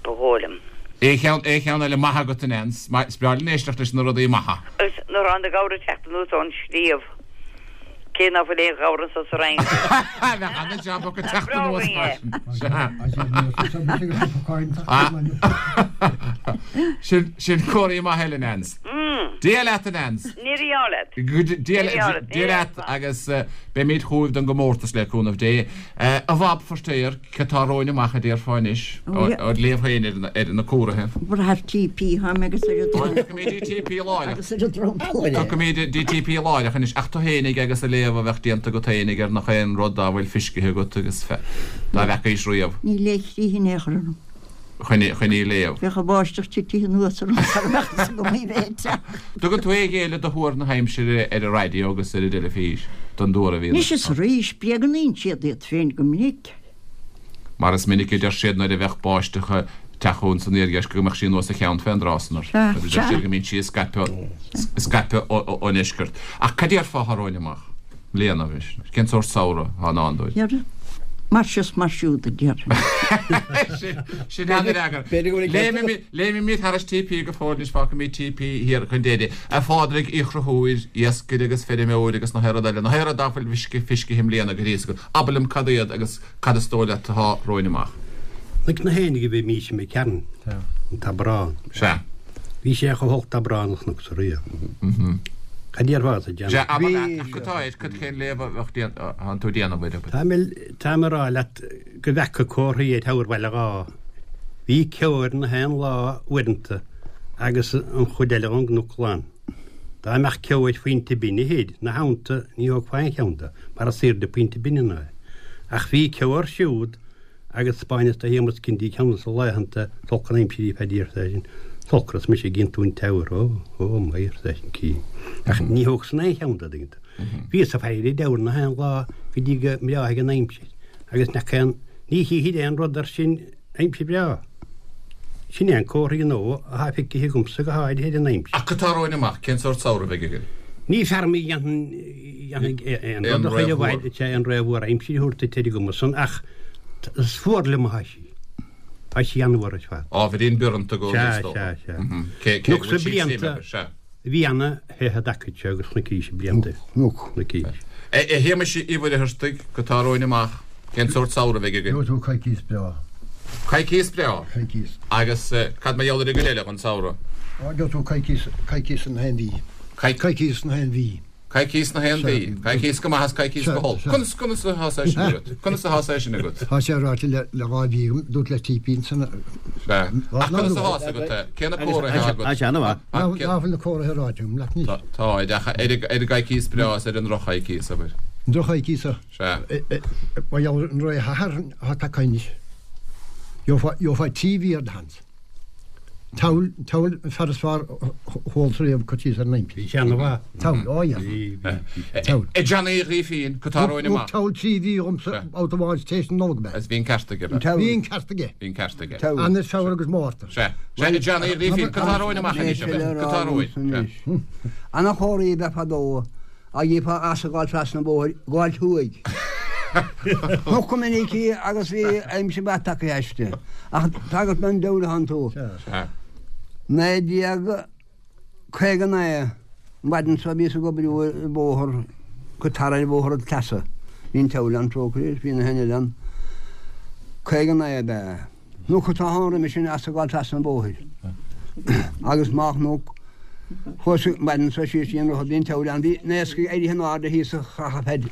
Ba dhóigh liom. Aon cheann, aon cheann eile maith agat, a Neans. Is breá linn éisteacht leis na rudaí maithe. Agus nuair atá na gabhair ag teacht anuas ón sliabh, cé ná fuil aon ghabhar anso sa Rinn. Bheadh ana-jab acu teacht anuas mar sin. Sea. Sin, sin comharthaí maith eile, Neans. Dia leat, a Neans. Ní raibh leat. Dia Dia leat agus beimid chugaibh don gcomórtas le cúnamh Dé. A Bhab Feirtéar, cad tá romhainn amach a déarfá anois, ó léamh féin ar na comharthaithe. Brath ar T P tháim agus ar an drom. Tiocfaimid D T P láithreach. Agus ar an dromchla. Tiocfaimid D T P láithreach anois ach tú fhéinig agus a léamh a bheadh déanta agat fhéinig ar nach aon rud dá bhfuil feiscithe agat agus dá bhfeacaís riamh. Ní le chríth in aon chor orm. Chun chun í léamh. Bheadh an bháisteach titithe anuas orm sara mbeadh fhios agam í bheith ag teacht. Tugann tú é ghéile do thuar na haimsire ar an raidió agus ar an dteilifís don dtuar a bhíonn. Anois is arís bréagnaíonn siad iad féin go minic. Mar is minic a deir siad nuair a bheadh báisteach ag teacht chugainn san iardheisceart go mbeadh sí anuas a cheann fén dtráth san ort. Sea, Agus deir sea. siad go mbíonn sí ag scaipeadh scaipeadh ón deisceart. Ach cad déarfá atá romhainn amach? Bliana anois. Cén sórt samhradh atá i ndán dúinn? Deireadh. Mar seo is mar siúd a déarfainn. Sin an-fhreagra. Léimimid thar T P go fóill anois fágfaimid T P thiar chun deiridh. A Phádraig Uí Chonchúir, iascaire agus feirmeoir agus na haon rud eile, na haon rud dá bhfuil fisce fiscithe i mbliana go ríos Abair liom cad iad agus cad is dóigh leat atá romhainn amach. Like na hénig a bhí mí me cean an tabrán. Sea. Bhí sé chomh holc tabrán nach sa ria. Cad déarfá a Sea, déanamh? abair leat, ach cad tá air, cad cén léamh a bheadh déan- an tú déanamh air? Tá tá mé rá leat go bhfeaca comharthaí ag tabhair bhaile dhá. Bhí ceo air na haon lá uaireanta agus an chuid eile ón gcnoc glan. Dá mbeadh ceo ar phointe binne théid, na theannta ní thógfá aon cheann de, mar is airde pointe binne ná é. Ach bhí ceo air siúd agus Spáinneas do Shéamus Cindy ceann sa laethanta tolc an aimsirí feidír sin. Tolcras mise ag iontú an teabhair ó ó maith sin cí. Ach ní thóg san aon cheann de dtuigeann tú. Bhíos ag faire diabhal na haon lá go dtí go mbreáthaigh an aimsir agus nach aon ní chífidh aon rud air sin aimsir bhreá. Sin é an comhartha gnó atá feicthe agamsa go háirithe ar an aimsir. Ach cad tá romhainn amach, cén sórt samhradh a bheidh againn? Ní fear mé a dhéanfaidh aon rud a chuir i bhfad aon réamhthuar aimsire a thabhairt duit ar an gcuma san ach is fuar liom atá sí. Tá sí an-fhuar ar fad. Ábhairín bioranta go Sea, sea, sea. Cé go Chonac sa bhfuil sí blianta sea. bhí ana-the i dtaca seo agus chonaicís blianta. Chonaicís. A Shéamais Uí Mhuircheartaigh, cad tá romhainn amach, cén sórt samhradh a bheidh againn? Gheobhaidh tú coicíos breá. Coicíos breá? Coicíos. Agus cad mar gheall ar an gcuid eile den samhradh? Á, gheobhaidh tú coicíos, coicíos in aon mhí. Coicíos in aon mhí. Coicíos na haon mhí. Coicíos go maith is coicíos go holc. Conas, conas atá sé sin agat? Conas atá sé sin agat? Tá sé ráite le le dhá mhí agam, dúirt le TP ansan. Sea. Ach conas atá sé agat é? Cé na comharthaí atá agat? Tá sé an-mhaith. Ná fuil na comharthaí ráite agam leat anois. Tá, ach ar an gcoicíos breá is ar an ndroch-choicíos, abair. An droch-choicíos a. Sea. Mar gheall ar an ré atá tagtha anois. Gheofá trí mhí ar do sheans. Toghail, toghail an fear is fearr a chualas riamh cur síos ar an aimsir. Bhí sé ana-mhaith. Toghail, ó yeah. Toghail. A Johnny Uí Ghrífín, cad tá romhainn amach. Thug toghail trí mhí dhomsa babhta amháin tar éis na Nollag ab ea. Is bhí an ceart aige, ab ea? Bhí an ceart aige. Bhí an ceart aige. Eanáir, Feabhra agus Márta. Sea. Sea, a Johnny Uí Ghrífín, cad tá romhainn amach anois, ab ea? Cad tá romhainn? Sea. Ana-chomhartha ab ea fadó a gheofá easa ag gabháil trasna an bhóthair, gabháil thuaidh. Chonac go minic í agus bhí aimsir mhaith tagtha aisti. Ach tagairt don diabhal atánn tú. Naoi déag caoga naoi, an mhaidin seo bhíos ag oibriú ar bhóthar go Tara ar bhóthar an tSleasa. Bhí an tSeabhail ann, trócaire, is bhí na héin eile ann. Caoga naoi ab ea. Cnoc atá ann roimhe sin easa ag gabháil trasna an bhóthair. Agus má chnoc, chuas an mhaidin seo síos dtí an droichead, bhí an tSeabhail ann. Bhí na iascaigh éirithe in airde thíos sa chreathadh feid.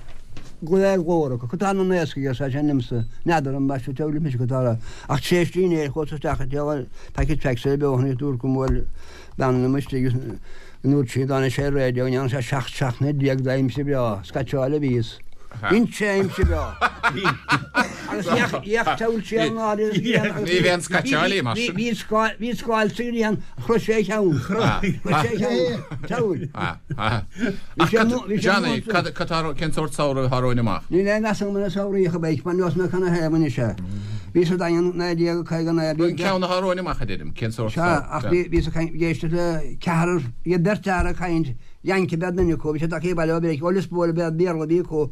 Glao glórach, cad tá na iascaigh arsa seisean liomsa, n'fheadar an mbeidh sé mise cad tá ach tar éis dinnéir chuas isteach ag díol packet tracks ar beo agus dúirt go bhfuil bean liom istigh agus go ndúirt sí dá sé raidió go ndearna sé seacht seachtaine déag d'aimsir bhreá, scaitseáil a bhíos. Dhein sé aimsir bhreá. Agus dheach toghail sé an áit Ní bheidh an scaitseálaí mar sin. Bhí bhí scáil sa ghrian chroith sé a cheann. Chroith sé a cheann. Toghail. Ach Johnny, cad tá cén sórt samhradh atá romhainn amach? Níl aon mheas agam ar an samhradh a bheidh, mar nós mé chun a thaobh anois é. Bhí sa Daingean naoi déag caoga naoi. An ceann atá romhainn amach a deirim, cén sórt Sea, ach bhí bhí sa ag éisteacht le ceathrar, bhí beirt fhear ag caint, Yank ab ea duine acu, bhí sé tagtha abhaile ó Mheiriceá, ó Liospóil ab ea Béarla a bhí acu,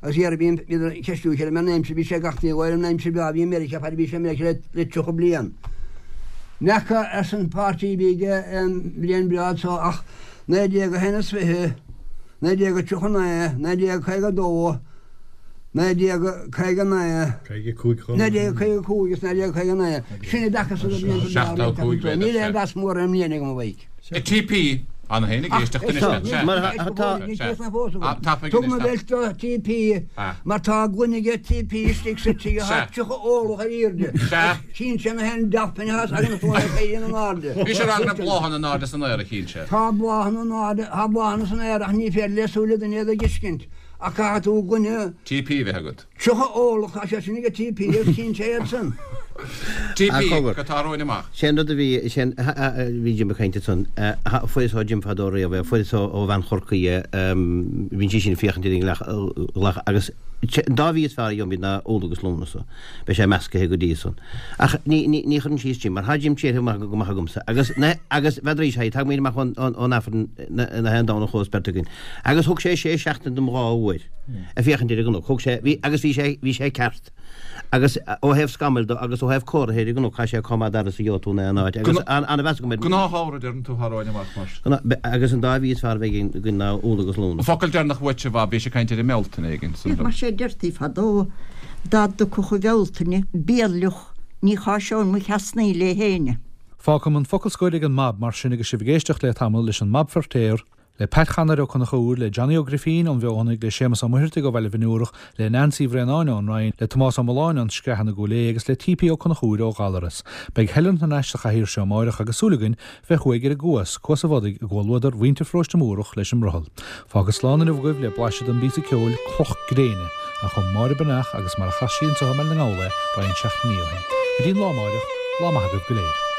agus iarraidh bhí bhíodar ag ceistiú a chéile mar an aimsir, bhí sé gach ní ar an aimsir bhreá a bhí i Meiriceá, fad a bhí sé i Meiriceá le le tríocha bliain. N'fheaca, arsa an páirtí a bhí aige aon bhliain bhreá anso ach naoi déag a haon is fiche, naoi déag a tríocha naoi, naoi déag caoga dó, naoi déag caoga naoi, Caoga cúig chomh naoi déag caoga cúig is naoi déag caoga naoi. Sin a d'fheacas do bhlianta breá Seachtó cúig riamh. Níl aon mheas mór ar an mbliain agam a mhaidhc. TP, Ann féin ag éisteacht anois leat. Mar tá. Tapaidh Thug anois, mo tap. bheilt do TP mar tá gloine aige TP istigh sa tigh atá Sea. tríocha orlach ar airde. Sea. Tchíonn sé na haon dealpin atá againn a chuaigh éiríonn in airde. Bhí sé ag rá go raibh bláthanna in airde san aer a chinn sé. Tá bláthanna in airde, tá bláthanna san aer ach ní féidir le súile duine iad a fheiscint. Ach caithfidh tú gloine TP a bheith agat. tríocha orlach, tá sé sin aige TP agus tchíonn sé iad san. TP, cogar. Cad tá romhainn amach. Sé an rud a bhí, sé an, bhí Jim ag caint ansan, fuaireas ó Jim fadó riamh é, fuaireas ó ó bhean Chorcaí é, bíonn sí sin ag féachaint ar an ngleach agus an dá mhí is fearr a gheobhaimid ná Iúil agus Lúnasa. Beidh sé meascaithe go dtí san. Ach ní, ní, ní chuireann síos Jim, mar thá Jim tréartha maith go maith agamsa. Agus na, agus bheadh sé, tagaimid amach ón, ón, ón Aifreann na, na haon Domhnach thuas beirt againn. Agus thug sé sé seachtaine dom dhá uair ag féachaint ar an gcnoc. Thug sé, bhí, agus bhí sé, bhí sé ceart. Agus ó thaobh scamaill de agus ó thaobh comhartha ar an gcnoc, thá sé chomh maith d'fhearas a gheobhaidh tú in aon áit. Agus an, an-mheas agam air. Gnáthshamhradh deireann tú atá romhainn amach mar. Gnáth, agus an dá mhí is fearr a bheidh againn ná Iúil agus Lúnasa. Focal deireanach uait a Bhab, bhí sé ag caint ar an mBealtaine éigin san. Mar sé deirtí fadó dá dtiocfadh an Bhealtaine béal fhliuch ní cháiseoinn mo cheasnaí le héinne. Fágfaidh an focal scoir ag an mBab mar sin agus sibh ag éisteacht le tamall leis an mBab Feirtéar, le Pat Chanair Ó Conchúir, le Johnny Ó Grifín ón Bhfeothanaigh, le Séamus Ó Muircheartaigh ó Bhaile Bhinn le Nancy Bhréanáin ón Rinn, le Tomás Ó Mulláin ón Screathan i gCúil Aodha agus le TP Ó Conchúir ó Ghallaras. Beidh Helen thar n-ais sa chathaoir seo amárach agus súil againn bheith uaidh ar an gCuas, Cuas a Bhodaigh i gcomhluadar mhuintir Pharóiste Múrach leis an mbrothall. Fágfad slán inniu agaibh le blaiseadh den bpíosa ceoil Cloch Gréine, a chum Máire Breathnach agus mar a chas sí anseo i mBaile na nGall é roinnt seachtainí ó shin. Go dtí an lá amárach, lá maith agaibh go léir.